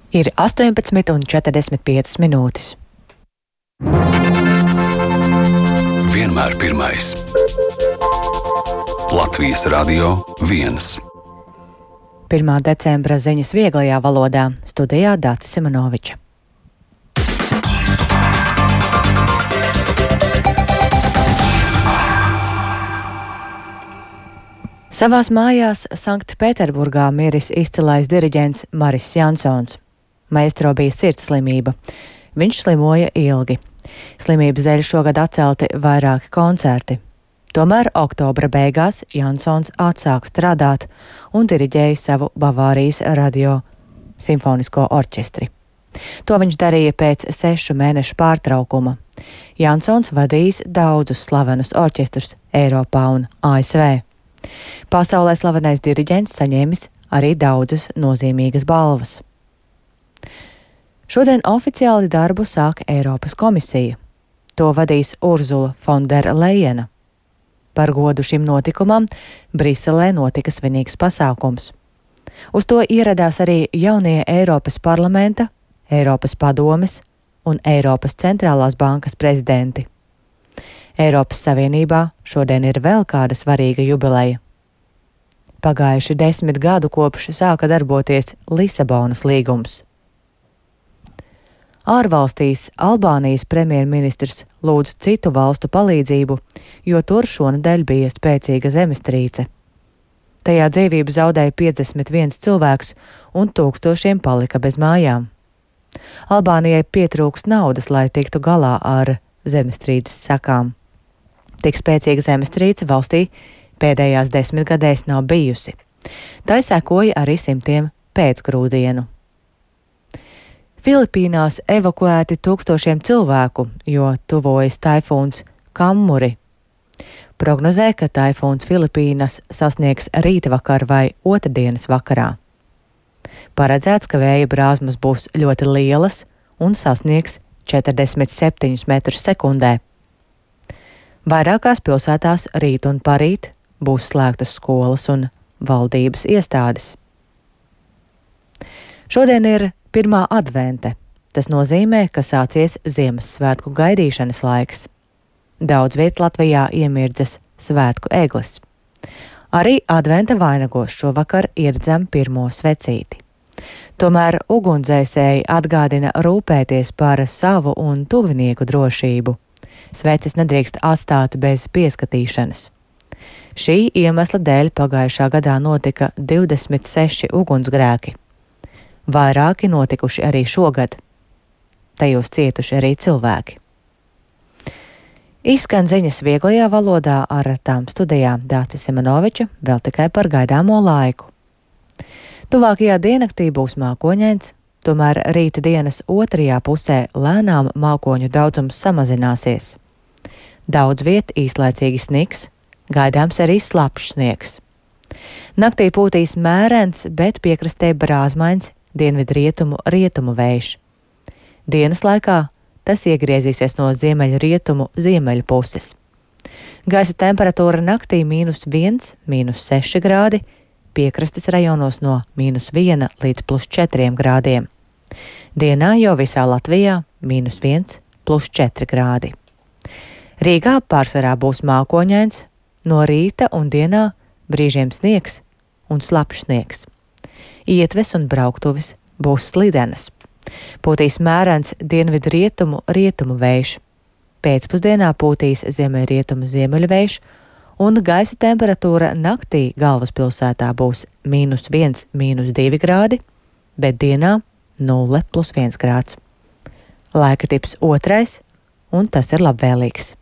Ir 18,45 minūtes. Vienmēr pirmais. Latvijas Radio 1. 1. decembra ziņas vieglajā valodā. Studijā Dācis Simonoviča. Savās mājās Sanktpēterburgā miris izcilais diriģents Maris Jansons. Maestro bija sirdsslimība. Viņš slimoja ilgi. Slimības dēļ šogad atcelti vairāki koncerti. Tomēr oktobra beigās Jansons atsāka strādāt un diriģēja savu Bavārijas radio simfonisko orķestri. To viņš darīja pēc 6 mēnešu pārtraukuma. Jansons vadījis daudzus slavenus orķestrus Eiropā un ASV. Pasaulē slavenais diriģents saņēmis arī daudzas nozīmīgas balvas. Šodien oficiāli darbu sāk Eiropas komisija. To vadīs Urzula von der Leyena. Par godu šim notikumam Briselē notika svinīgs pasākums. Uz to ieradās arī jaunie Eiropas parlamenta, Eiropas padomes un Eiropas centrālās bankas prezidenti. Eiropas Savienībā šodien ir vēl kāda svarīga jubileja. Pagājuši 10 gadu kopš sāka darboties Lisabonas līgums. Ārvalstīs Albānijas premjerministrs lūdz citu valstu palīdzību, jo tur šonedēļ bija spēcīga zemestrīce. Tajā dzīvību zaudēja 51 cilvēks un tūkstošiem palika bez mājām. Albānijai pietrūks naudas, lai tiktu galā ar zemestrīces sekām. Tik spēcīga zemestrīce valstī pēdējās 10 gadēs nav bijusi. Tai sekoja arī simtiem pēcgrūdienu. Filipīnās evakuēti tūkstošiem cilvēku, jo tuvojas taifūns Kammuri. Prognozē, ka taifūns Filipīnas sasniegs rītvakar vai otrdienas vakarā. Paredzēts, ka vēja brāzmas būs ļoti lielas un sasniegs 47 metrus sekundē. Vairākās pilsētās rīt un parīt būs slēgtas skolas un valdības iestādes. Šodien ir 1. advente. Tas nozīmē, ka sācies Ziemassvētku gaidīšanas laiks. Daudz viet Latvijā iemirdzas svētku egles. Arī adventa vainagos šovakar ieredzam pirmo svecīti. Tomēr ugunsdzēsēji atgādina rūpēties par savu un tuvinieku drošību. Sveces nedrīkst atstāt bez pieskatīšanas. Šī iemesla dēļ pagājušā gadā notika 26 ugunsgrēki. Vairāki notikuši arī šogad. Tajos cietuši arī cilvēki. Izskan ziņas vieglajā valodā, ar tām studijā Dācis Simonoviča, vēl tikai par gaidāmo laiku. Tuvākajā diennaktī būs mākoņains, tomēr rīta dienas otrajā pusē lēnām mākoņu daudzums samazināsies. Daudz viet īslaicīgi sniks, gaidāms arī slapjš sniegs. Naktī pūtīs mērens, bet piekrastē brāzmains dienvidrietumu vējš. Dienas laikā tas iegriezīsies no ziemeļrietumu ziemeļu puses. Gaisa temperatūra naktī -1, -6 grādi, piekrastes rajonos no -1 līdz +4 grādiem. Dienā jau visā Latvijā -1, +4 grādi. Rīgā pārsvarā būs mākoņains, no rīta un dienā brīžiem sniegs un slapjš sniegs. Ietves un brauktuves būs slidenas. Pūtīs mērens dienvidrietumu vējš. Pēcpusdienā pūtīs ziemeļrietumu ziemeļvējš, un gaisa temperatūra naktī galvaspilsētā būs -1, -2 grādi, bet dienā 0 + 1 grāds. Laika tips 2, un tas ir labvēlīgs.